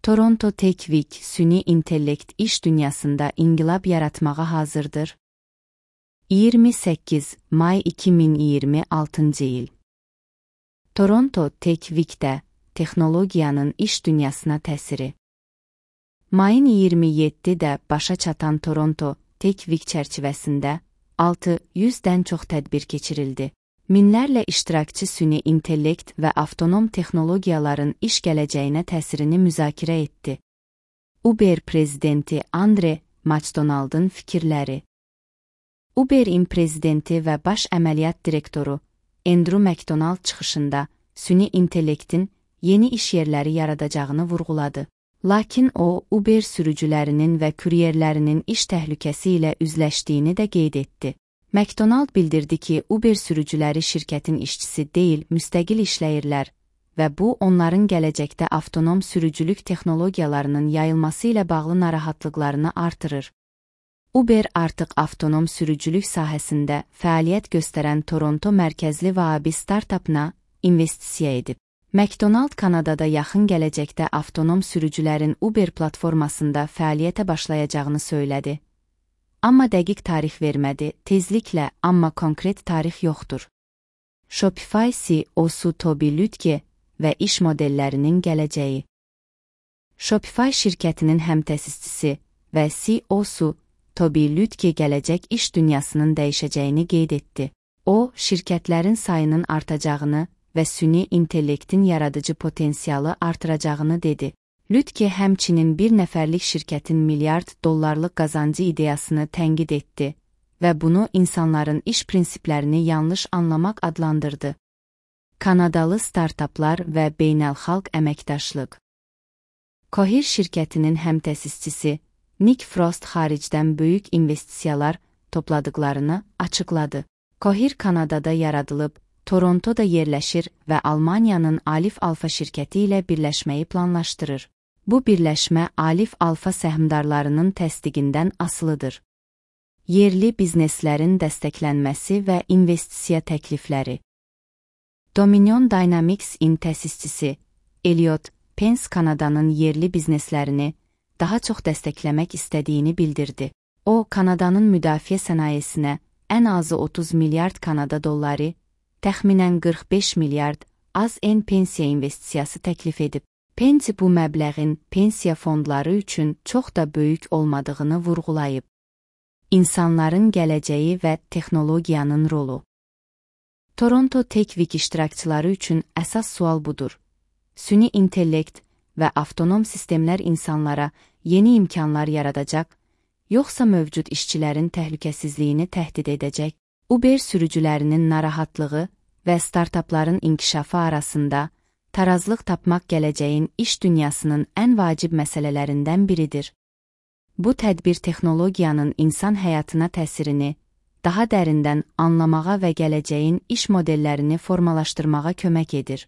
Toronto Tech Week süni intellekt iş dünyasında inqilab yaratmağa hazırdır. 28 may 2026 il. Toronto Tech Week'də texnologiyanın iş dünyasına təsiri. Mayın 27-də başa çatan Toronto Tech Week çərçivəsində 600-dən çox tədbir keçirildi. Minlərlə iştirakçı süni intellekt və avtonom texnologiyaların iş gələcəyinə təsirini müzakirə etdi. Uber prezidenti Andre McDonald'ın fikirləri. Uber'in prezidenti və baş əməliyyat direktoru Andrew McDonald çıxışında süni intellektin yeni iş yerləri yaradacağını vurğuladı. Lakin o, Uber sürücülərinin və kuryerlərinin iş təhlükəsi ilə üzləşdiyini də qeyd etdi. McDonald bildirdi ki, Uber sürücüləri şirkətin işçisi deyil, müstəqil işləyirlər və bu, onların gələcəkdə avtonom sürücülük texnologiyalarının yayılması ilə bağlı narahatlıqlarını artırır. Uber artıq avtonom sürücülük sahəsində fəaliyyət göstərən Toronto mərkəzli Waabi startapına investisiya edib. McDonald Kanadada yaxın gələcəkdə avtonom sürücülərin Uber platformasında fəaliyyətə başlayacağını söylədi. Amma dəqiq tarix vermədi, tezliklə, amma konkret tarix yoxdur. Shopify CEO-su Tobi Lütke və iş modellərinin gələcəyi. Shopify şirkətinin həmtəsisçisi və CEO-su Tobi Lütke gələcək iş dünyasının dəyişəcəyini qeyd etdi. O, şirkətlərin sayının artacağını və süni intellektin yaradıcı potensialı artıracağını dedi. Lütke həmçinin bir nəfərlik şirkətin milyard dollarlıq qazancı ideyasını tənqid etdi və bunu insanların iş prinsiplərini yanlış anlamaq adlandırdı. Kanadalı startaplar və beynəlxalq əməkdaşlıq. Cohere şirkətinin həmtəsisçisi Nick Frost xaricdən böyük investisiyalar topladıqlarını açıqladı. Cohere Kanadada yaradılıb, Torontoda yerləşir və Almaniyanın Alif Alfa şirkəti ilə birləşməyi planlaşdırır. Bu birləşmə Alif Alfa səhmdarlarının təsdiqindən asılıdır. Yerli bizneslərin dəstəklənməsi və investisiya təklifləri. Dominion Dynamics-in təsisçisi Elliot Pence Kanadanın yerli bizneslərini daha çox dəstəkləmək istədiyini bildirdi. O, Kanadanın müdafiə sənayesinə ən azı 30 milyard Kanada dolları, təxminən 45 milyard az-en pensiya investisiyası təklif edib. Pence bu məbləğin pensiya fondları üçün çox da böyük olmadığını vurğulayıb. İnsanların gələcəyi və texnologiyanın rolu. Toronto Tech Week iştirakçıları üçün əsas sual budur. Süni intellekt və avtonom sistemlər insanlara yeni imkanlar yaradacaq, yoxsa mövcud işçilərin təhlükəsizliyini təhdid edəcək? Uber sürücülərinin narahatlığı və startapların inkişafı arasında tarazlıq tapmaq gələcəyin iş dünyasının ən vacib məsələlərindən biridir. Bu tədbir texnologiyanın insan həyatına təsirini daha dərindən anlamağa və gələcəyin iş modellərini formalaşdırmağa kömək edir.